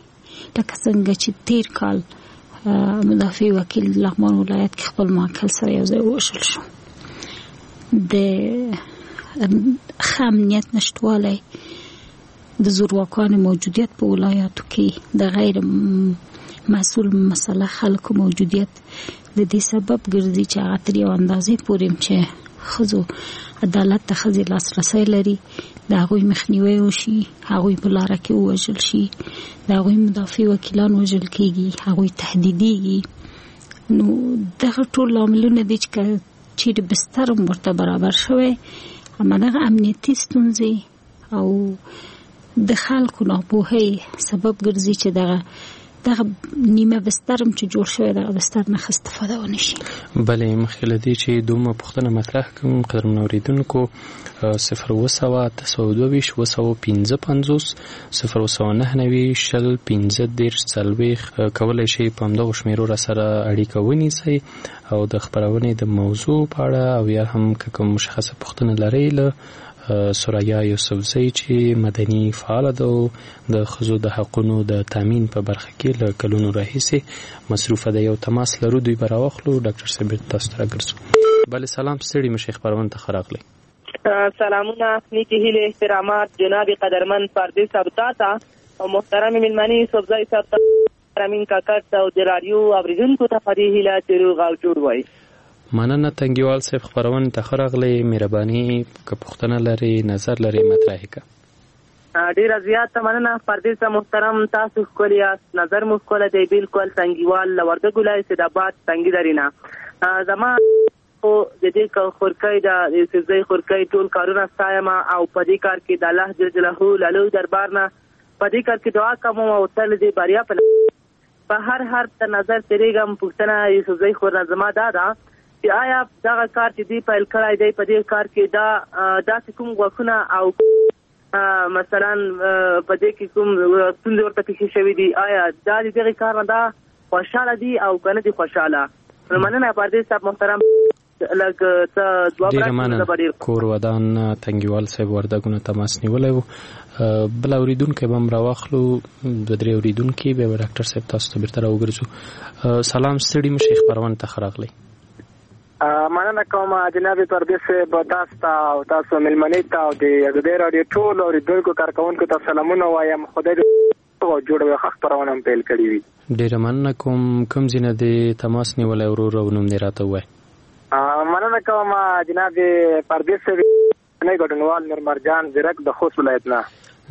لکه څنګه چې تیر کال مدافع وکیل لغمان ولایت کې خپل موکل سره یو ځای ووژل شو. د ښه امنیت نشتوالی، د زورواکانو موجودیت په ولایاتو کې، د غیر مسؤل مسله خلکو موجودیت د دې سبب ګرځي چې هغه تر یو اندازې پورې چې ښځو عدالت ته ښځې لاسرسی لري، د هغوی مخنیوی وشي، هغوی په لاره کې ووژل شي، د هغوی مدافع وکیلان وژل کیږي، هغوی تهدیدیږي. نو دغه ټول لاملونه دي چې که چیرې بستر هم ورته برابر شوی، اما دغه امنیتي ستونزې او د خلکو ناپوهۍ سبب ګرځي چې دغه نیمه بستر هم چې جوړ شوی، دغه بستر نه استفاده ونه شي. بله، مخکې له دې چې دومره پوښتنه مطرح کړم، قدرمن اورېدونکو، 0700 822 755، 0799 20 35 40 کولی شئ په همدغو شمېرو را سره اړیکه ونیسئ او د خپرونې د موضوع په اړه او یا هم که کوم مشخصه پوښتنه لرئ له ثریا یوسفزۍ چې مدني فعاله ده او د ښځو د حقونو د تامین په برخه کې له کلونو راهیسې مصروفه ده، یو تماس لرو، دوی به راواخلو. ډاکټر صاحب بیرته تاسو ته راګرځو. بله، سلام، ستړي مشي، خپرونې ته ښه راغلئ. سلامونه، نیکې هیلې، احترامات جناب قدرمن پردیس صاحب تاته او محترم میلمنې یوسفزۍ صاحب ته، امین کاکړ ته او د راډیو اورېدونکو ته په دې هیله چې روغ او جوړ وای. مننه تنګیوال صاحب، خپرونې ته ښه راغلئ. مهرباني که پوښتنه لرئ، نظر لرئ، مطرح یې که. ډیره زیاته مننه پردیس صاحب محترم، تاسو ښکلي یاست، نظر مو ښکلی دی. بالکل تنګیوال له وردګو ولایت سید آباد تنګي درې نه. زما خو د دې خورکۍ د یوسفزۍ خورکۍ ټول کارونه ستایم او په دې کار کې د الله جل جلاله له لوی دربار نه په دې کار کې دعا کوم او تل دې بریا په هر حرف ته نظر تېرېږم. پوښتنه یوسفزۍ خور نه زما دا ده چې آیا دغه کار چې دوی پیل کړی دی، په دې کار کې دا داسې کوم غوښونه او مثلا په دې کې کوم ستونزې ورته پېښې شوې دي، آیا دا د دغې کار نه دا خوشحاله دي او که نه دي خوشحاله؟ مننه پردیس صاحب محترم، لږ څه ځواب ډیره راکړئ، زه مننه به ډېر کور ودان. تنګیوال صاحب وردګونه تماس نیولی و. بل اوریدونکی به هم راواخلو، دوه درې اوریدونکي، بیا به ډاکټر صاحب تاسو ته بیرته راوګرځو. سلام، ستړي مشي، خپرونې ته ښه راغلئ. مننه کوم جناب پردیس صاحب، تاسو ته او تاسو مېلمنې ته او د ازادۍ راډیو ټولو اورېدونکو کارکوونکو ته سلامونه وایم. خدای دې روغ او جوړ وي، ښه خپرونه هم پیل کړې وي. ډېره مننه کوم. کوم ځای نه دې تماس نیولی ورور او نوم دې راته ووایه؟ مننه کوم جناب پردیس صاحب، ګډونوال نور مرجان زیرک د خوست ولایت نه.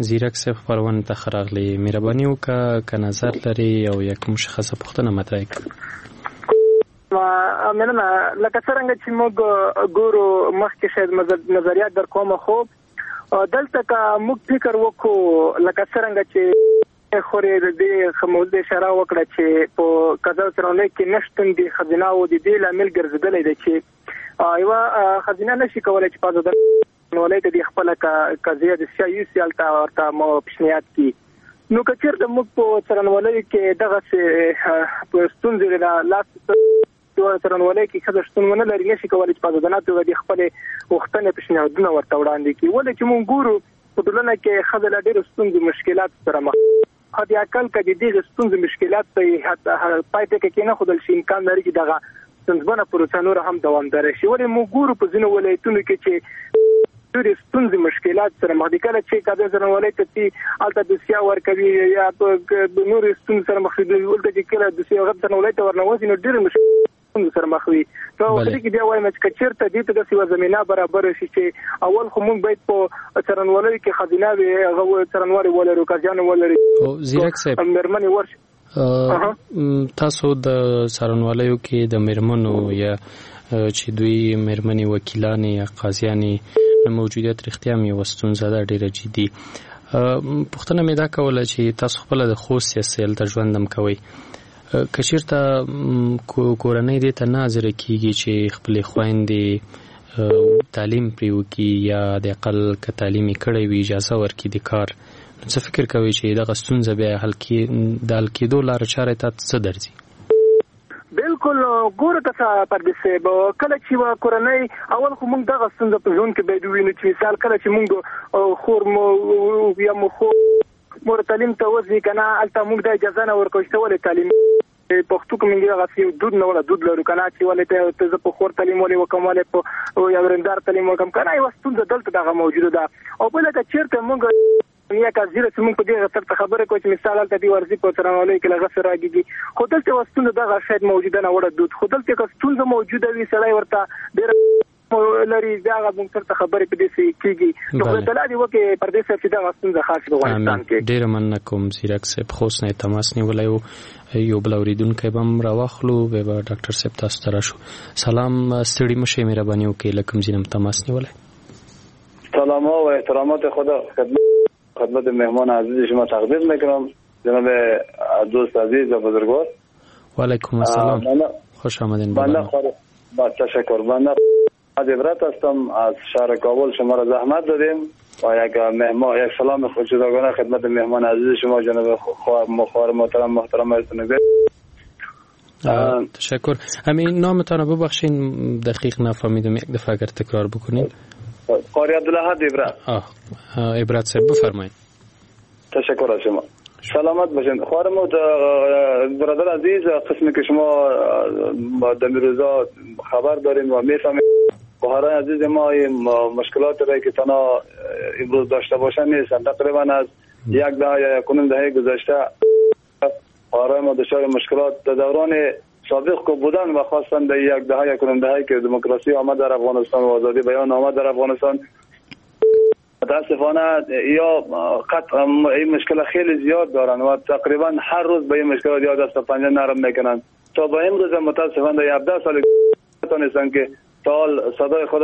زیرک صاحب خپرونې ته ښه راغلې، مهرباني وکړه که نظر لرې او یا کوم مشخصه پوښتنه مطرح کړه. مننه. لکه څرنګه چې موږ ګورو مخکې شاید نظریات در کوم، خو دلته که موږ فکر وکړو لکه څرنګه چې خورې د دې موضوع اشاره وکړه چې په قضا څارنوالۍ کې نشتون د ښځینهوو د دې لامل ګرځېدلی دی چې یوه ښځینه نشي کولی چې په ازاده څارنوالۍ ته د خپله قضیه د سیا یوسي هلته ورته پیشنهاد کړي. نو که چېرته موږ په څارنوالیو کې دغسې ستونزې لاس څارنوالۍ کې ښځه شتون ونه لري، نشي کولی چې په ازادانه توګه د خپلې غوښتنې پیشنهادونه ورته وړاندې کړي. ولې چې موږ ګورو په ټولنه کې ښځه له ډېرو ستونزو مشکلاتو سره مخ، حد اقل که د دغې ستونزو مشکلات ته یې پای ټکی کېنښودل شي، امکان لري چې دغه ستونزمنه پروسه نوره هم دوامداره شي. ولې موږ ګورو په ځینو ولایتونو کې چې ډېرې ستونزې مشکلات سره مخ دي، کله چې قاضي څارنوالۍ ته ځي هلته دوسیه ورکوي یا په نورو ستونزو سره مخ وي، دلته چې کله دوسیه هغه څارنوالۍ ته ورنوځي نو ډېرې ستونزو سره مخ وي. نو دې کې بیا وایم چې که چېرته دې ته داسې یوه زمینه برابره شي چې اول خو موږ باید په څارنوالیو کې ښځینه وي، هغه څارنوالې ولرو، قاضیانو ولري، زیرک صاحب مېرمنې ورشي. تاسو د څارنوالیو کې د مېرمنو یا چې دوی مېرمنې وکیلانې یا قاضیانې موجودیت رښتیا هم یوه ستونزه ده ډیره جدي. پوښتنه مې دا کوله چې تاسو خپله د خوست یاست، هلته ژوند هم کوئ، که چیرته کورنۍ دې ته نه حاضره کیږي چې خپلې خویندې تعلیم پرې وکړي یا د اقل که تعلیم یې کړی وي اجازه ورکړي د کار، نو څه فکر کوئ چې دغه ستونزه بیا حل کې د حل کېدو لاره چاره ته څه درځي؟ بالکل ګوره که پردیس صاحب، کله چې یوه کورنۍ اول خو موږ دغه ستونزه په ژوند کې باید ووینو چې مثال کله چې موږ خور مو یا مو خور مور تعلیم ته وځي که نه، هلته موږ دا اجازه نه ورکوو چې ته ولې تعلیم پښتو کې موږ دغسې یو دود نه وړه دود لرو که نه چې ولې ته زه په خور تعلیم ولې وکړم، ولې په یو ورېندار تعلیم وکړم که نه، یوه ستونزه دلته دغه موجوده ده. او بله که چېرته موږ یا که زیره چې موږ په دې غسر ته خبرې کوو چې مثال هلته دې ورځي په څرنګوالۍ کې له غسر راګېږي، خو دلته یوه ستونزه دغه شاید موجوده نه وړه دود، خو دلته که ستونزه موجوده وي سړی ورته ډېره لري، بیا هغه موږ سره خبرې په دې څه کېږي. نو خدای تعالی دې وکړي پردې صاحب چې دغه ستونزه خاص په افغانستان کې. ډېره مننه کوم زیرک صاحب، خوست نه یې تماس نیولی و. یو بل اورېدونکی به هم راواخلو، بیا به ډاکټر صاحب تاسو ته راشو. سلام، ستړي مه شئ، مهرباني وکړئ، له کوم ځای نه مو تماس نیولی؟ سلام و احترامات خدا خدمت مهمان عزیز شما تقدیم میکنم، جناب دوست عزیز و بزرگوار. و علیکم السلام، خوش آمدین. با تشکر. بنده عبرت هستم از شهر کابل، شما را زحمت دادیم و یک مهمان یک سلام جداگانه خدمت مهمان عزیز شما جناب خواهر محترم محترم هستم. تشکر. همین نامتان رو ببخشین دقیق نفهمیدم، یک دفعه اگر تکرار بکنین. قاری عبدالله عبرت. عبرت صاحب بفرمایید. تشکر از شما، سلامت باشین. خواهر برادر عزیز، قسمی که شما در روزا خبر دارین و میفهمید، خواهران عزیز ما این مشکلات را که تنها امروز داشته باشن نیستن. تقریبا از یک دهه یا یک و نیم دهه گذشته خواهران ما دچار مشکلات در دوران سابق که بودن و خواستن در یک دهه یک و نیم دهه که دموکراسی آمد در افغانستان و آزادی بیان آمد در افغانستان، متاسفانه یا قطع این مشکل خیلی زیاد دارن و تقریبا هر روز به این مشکلات یا دست و پنجه نرم میکنن. تا به امروز متاسفانه در 17 سال نتونستن که تا حال صدای خود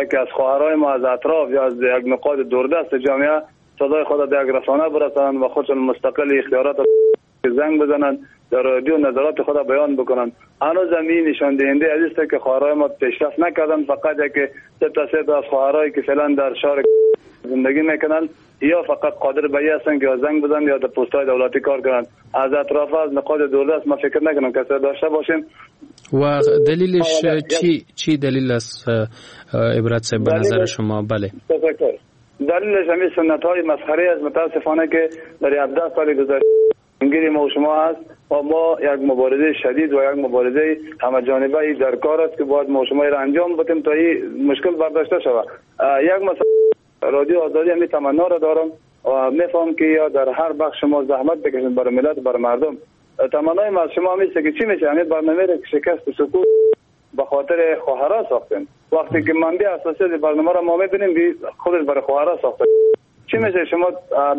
یکی از خواهرای ما از اطراف یا از یک نقاط دوردست جامعه صدای خود در یک رسانه برسانند و خودشون مستقل اختیارات زنگ بزنند، در رادیو نظرات خود بیان بکنند. هنوز هم این نشان دهنده عزیز که خواهرای ما پیشرفت نکردن، فقط یک سه تا از خواهرایی که فعلا در شهر زندگی میکنن یا فقط قادر به این هستن که یا زنگ بزنن یا در پست‌های دولتی کار کنن. از اطراف از نقاط دوردست ما فکر نکنم کسی داشته باشیم. و دلیلش چی دلیل است عبرت صاحب به نظر شما؟ بله، تشکر. دلیلش همین سنت‌های مسخره است متاسفانه که در 17 سال گذشته ما و شما هست و ما یک مبارزه شدید و یک مبارزه همه جانبه در کار است که باید ما و شما را انجام بدیم تا این مشکل برداشته شود. یک مثلا رادیو آزادی همی تمنا را دارم و میفهم که یا در هر بخش شما زحمت بکشید برای ملت برای مردم. تمنای ما از شما همیشه که چی میشه همین برنامه را که شکست سکوت به خاطر خواهرها ساختیم. وقتی که منبع اساسی برنامه را ما میبینیم خودش برای خواهرها ساخته. چی میشه شما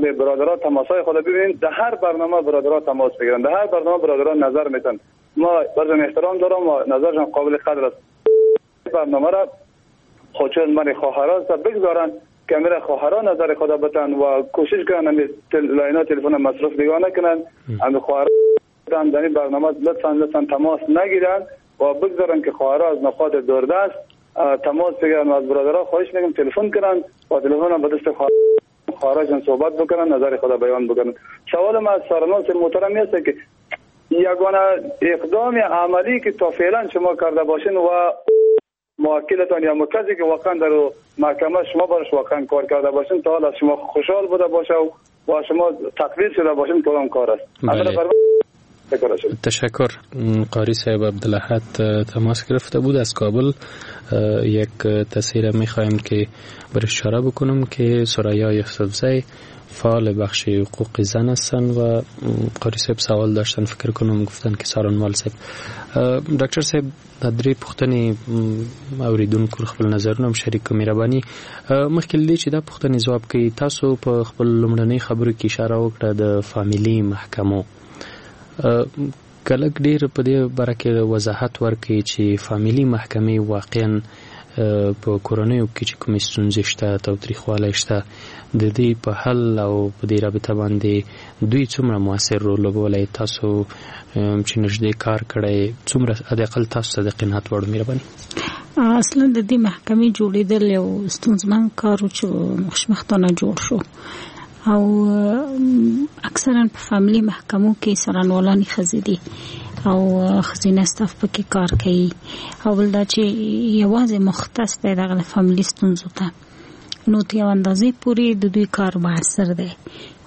به برادرها تماسای خود ببینید، در هر برنامه برادرها تماس بگیرن، در هر برنامه برادرها نظر میتن. ما برشون احترام دارم و نظرشون قابل قدر است. برنامه را خودشون من خواهرها بگذارن که میره خواهرها نظر خدا بتن و کوشش کنن همین لاینا تلفن مصرف نگاه نکنن، همین خواهرها در این برنامه لطفاً تماس نگیرن و بگذارن که خواهرها از نقاط دوردست تماس بگیرن و از برادرها خواهش میکنم تلفن کنن و تلفن به دست خواهرشان صحبت بکنن، نظر خدا بیان بکنن. سوال ما از سارناس محترم است که یگانه اقدام عملی که تا فعلا شما کرده باشین و موکلتان یا کسی که واقعا در محکمه شما برش واقعا کار کرده باشین تا حالا از شما خوشحال بوده باشه و شما تقدیر شده باشین کدام کار است؟ بله. تشکر. قاری صاحب عبدالاحد تماس گرفته بود از کابل. یک تصویر میخوایم که بر اشاره بکنم که ثریا یوسفزی فعال بخش حقوق زن هستند و قاری صاحب سوال داشتن، فکر کنم گفتن که سارنوال صاحب. ډاکټر صاحب دا درې پوښتنې اوریدونکو خپل نظرونه هم شریک کړو، مهرباني. مخکې له دې چې دا پوښتنې ځواب کړئ، تاسو په خپل لومړنۍ خبرو کې اشاره وکړه د فامیلي محکمو، که لږ ډېر په دې باره کې وضاحت ورکړئ چې فامیلي محکمې واقعا په کورنیو کې چې کومې ستونزې شته، تاوتریخوالی شته، د دې په حل او په دې رابطه باندې دوی څومره موثر رول لوبولی؟ تاسو چې نږدې کار کړی، څومره حداقل تاسو ته د قناعت وړ؟ مهرباني. اصلا د دې محکمې جوړېدل یو ستونزمن کار و چې خوشبختانه جوړ شو، او اکثرا په فامیلي محکمو کې څارنوالانې ښځې دي او ښځینه ستاف پکې کار کوي، او بل دا چې یوازې مختص دی دغه د فامیلي ستونزو ته، نو تر یو اندازې پورې د دوی کار موثر دی.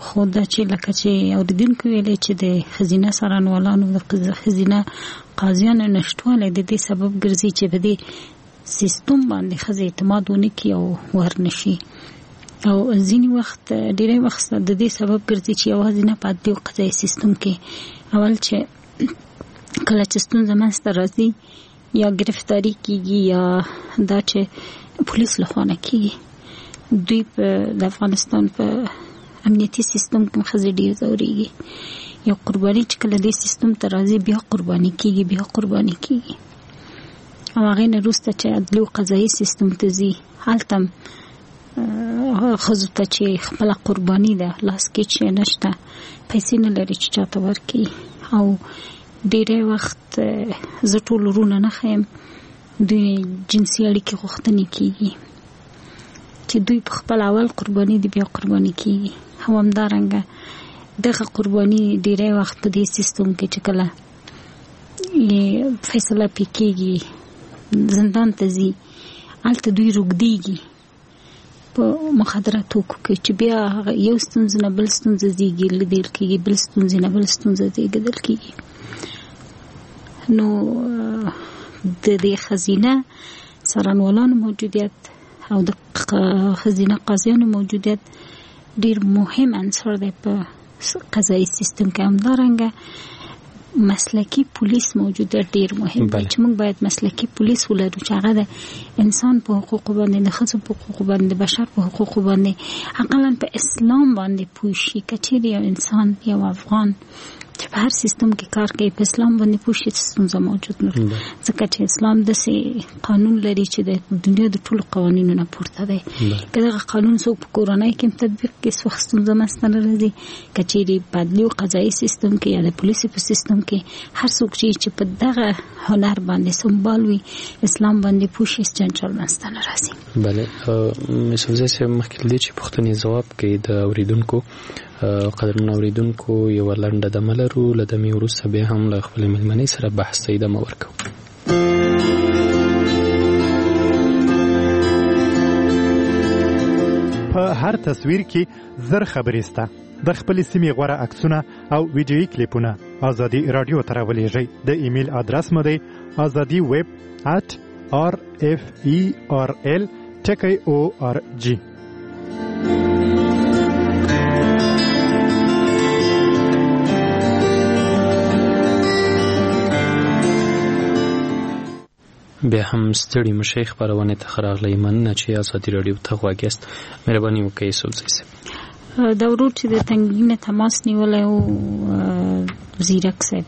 خو دا چې لکه چې اورېدونکو ویلې چې د ښځینه څارنوالانو د ښځینه قاضیانو نشتوالی د دې سبب ګرځي چې په دې سیستم باندې ښځې اعتماد ونه کړي او ورنشي، او ځینې وخت ډیری وخت د دې سبب ګرځي چې یوازې نه په عدلي او قضایي سیستم کې اول چې کله چې ستونزه منځته راځي یا گرفتاری کیږي یا دا چې پولیس له خوا نه کیږي، دوی په د افغانستان په امنیتي سیستم کې ښځې ډیر ځورېږي. یو قرباني چې کله دې سیستم ته راځي بیا قرباني کیږي، بیا قرباني کیږي، او هغې نه وروسته چې عدلي او قضایي سیستم ته ځي هلته ښځو ته چې خپله قرباني ده لاس کې چې نشته، پیسې نه لري چې چاته ورکړي، او ډیری وخت زه ټول ورونه نه ښیم، دوی جنسي اړیکې غوښتنې کیږي چې دوی په خپل اول قرباني دي بیا قرباني کیږي. او همدارنګه دغه قرباني ډیری وخت په دې سیستم کې چې کله فیصله پې کیږي زندان ته ځي، هلته دوی روږدیږي په مخدره توکو کې، چې بیا هغه یو ستونزه نه بل ستونزه زیږي لیدل کیږي، بل ستونزې نه بل ستونزه زیږېدل کیږي. نو د دې ښځینه څارنوالانو موجودیت او د ښځینه قاضیانو موجودیت ډیر مهم عنصر دی په قضایي سیستم کې. همدارنګه مسلکي پولیس موجودیت ډیر مهم دی چې موږ باید مسلکي پولیس ولرو چې هغه د انسان په حقوقو باندې، د ښځو په حقوقو باندې، د بشر په حقوقو باندې، اقلا په اسلام باندې پوه شي. که چیرې یو انسان، یو افغان چې په هر سیستم کې کار کوي په اسلام باندې پوه شي، ستونزه موجود نه، ځکه چې اسلام داسې قانون لري چې د دنیا د ټولو قوانینو نه پورته دی. که دغه قانون څوک په کورنۍ کې تطبیق کړي هېڅ وخت ستونزه منځته نه راځي. که چیرې په عدلي او قضایي سیستم کې یا د پولیسو په سیستم کې هر څوک چې په دغه هنر باندې سمبال وي، اسلام باندې پوه شي، هېڅ جنجال منځته نه راځي. بله یوسفزی صاحب، مخکې له دې چې پوښتنې ځواب کړئ د اورېدونکو، قدرمن اوریدونکو یوه لنډه دمه لرو، له دمې وروسته بیا هم له خپلې مېلمنې سره بحث ته ادامه ورکوو. په هر تصویر کې 1000 خبرې سته. د خپلې سیمې غوره عکسونه او ویډیويي کلیپونه ازادي رادیو ته راولېږئ. د ایمیل ادرس مو دی azadiweb@rferl.org. بیا هم ستړي مشي خپرونې ته ښه راغلئ. مننه چې ازادي راډیو ته غوږ یاست. مهرباني وکړئ یوسفزی صاحب. دا ورور چې د تنګي نه تماس نیولی و، زیرک صاحب